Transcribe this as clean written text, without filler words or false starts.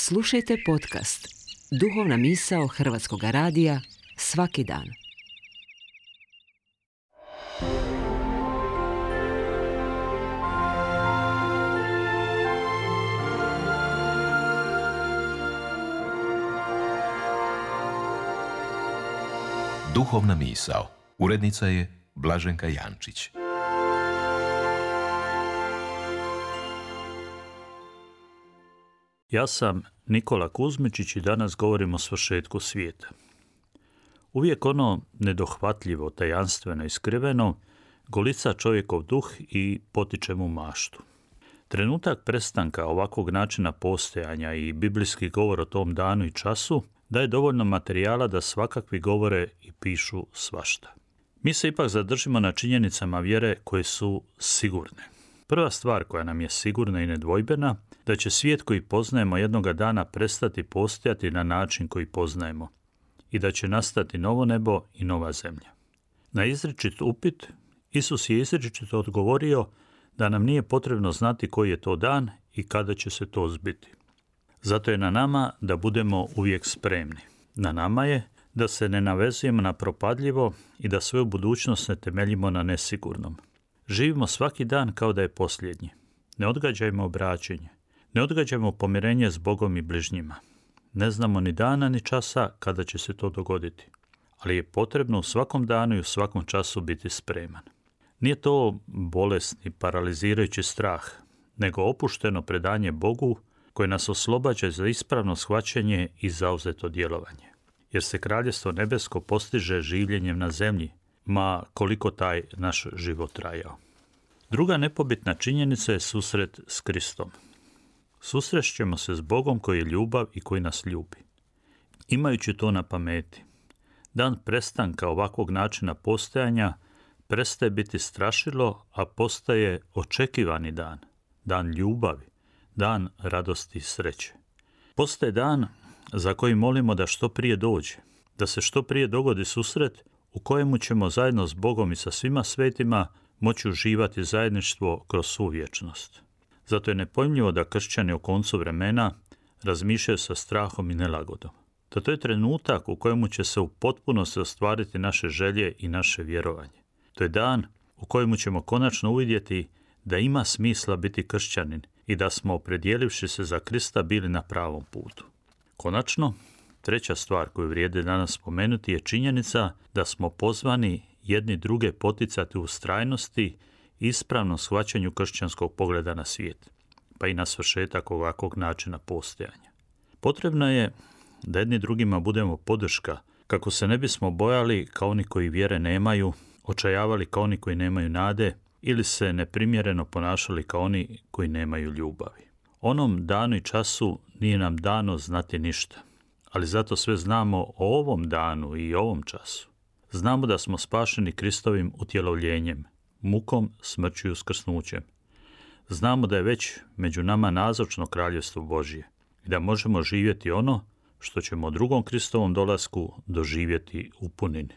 Slušajte podcast Duhovna misao Hrvatskog radija svaki dan. Duhovna misao. Urednica je Blaženka Jančić. Ja sam Nikola Kuzmičić i danas govorim o svršetku svijeta. Uvijek ono nedohvatljivo, tajanstveno i skriveno golica čovjekov duh i potiče mu maštu. Trenutak prestanka ovakvog načina postojanja i biblijski govor o tom danu i času daje dovoljno materijala da svakakvi govore i pišu svašta. Mi se ipak zadržimo na činjenicama vjere koje su sigurne. Prva stvar koja nam je sigurna i nedvojbena, da će svijet koji poznajemo jednoga dana prestati postojati na način koji poznajemo i da će nastati novo nebo i nova zemlja. Na izričit upit, Isus je izričito odgovorio da nam nije potrebno znati koji je to dan i kada će se to zbiti. Zato je na nama da budemo uvijek spremni. Na nama je da se ne navezujemo na propadljivo i da svoju budućnost ne temeljimo na nesigurnom. Živimo svaki dan kao da je posljednji. Ne odgađajmo obraćenje. Ne odgađajmo pomirenje s Bogom i bližnjima. Ne znamo ni dana ni časa kada će se to dogoditi. Ali je potrebno u svakom danu i u svakom času biti spreman. Nije to bolesni, paralizirajući strah, nego opušteno predanje Bogu koje nas oslobađa za ispravno shvaćanje i zauzeto djelovanje. Jer se Kraljevstvo nebesko postiže življenjem na zemlji, ma koliko taj naš život trajao. Druga nepobitna činjenica je susret s Kristom. Susrešćemo se s Bogom koji je ljubav i koji nas ljubi. Imajući to na pameti, dan prestanka ovakvog načina postojanja prestaje biti strašilo, a postaje očekivani dan, dan ljubavi, dan radosti i sreće. Postaje dan za koji molimo da što prije dođe, da se što prije dogodi susret u kojemu ćemo zajedno s Bogom i sa svima svetima moći uživati zajedništvo kroz svu vječnost. Zato je nepojmljivo da kršćani u koncu vremena razmišljaju sa strahom i nelagodom. Da to je trenutak u kojemu će se u potpunosti ostvariti naše želje i naše vjerovanje. To je dan u kojemu ćemo konačno uvidjeti da ima smisla biti kršćanin i da smo, opredjelivši se za Krista, bili na pravom putu. Konačno, treća stvar koju vrijedi danas spomenuti je činjenica da smo pozvani jedni druge poticati u ustrajnosti i ispravnom shvaćanju kršćanskog pogleda na svijet, pa i na svršetak ovakvog načina postojanja. Potrebno je da jedni drugima budemo podrška, kako se ne bismo bojali kao oni koji vjere nemaju, očajavali kao oni koji nemaju nade ili se neprimjereno ponašali kao oni koji nemaju ljubavi. Onom danu i času nije nam dano znati ništa, ali zato sve znamo o ovom danu i ovom času. Znamo da smo spašeni Kristovim utjelovljenjem, mukom, smrću i uskrsnućem. Znamo da je već među nama nazočno Kraljevstvo Božje i da možemo živjeti ono što ćemo u drugom Kristovom dolasku doživjeti u punini.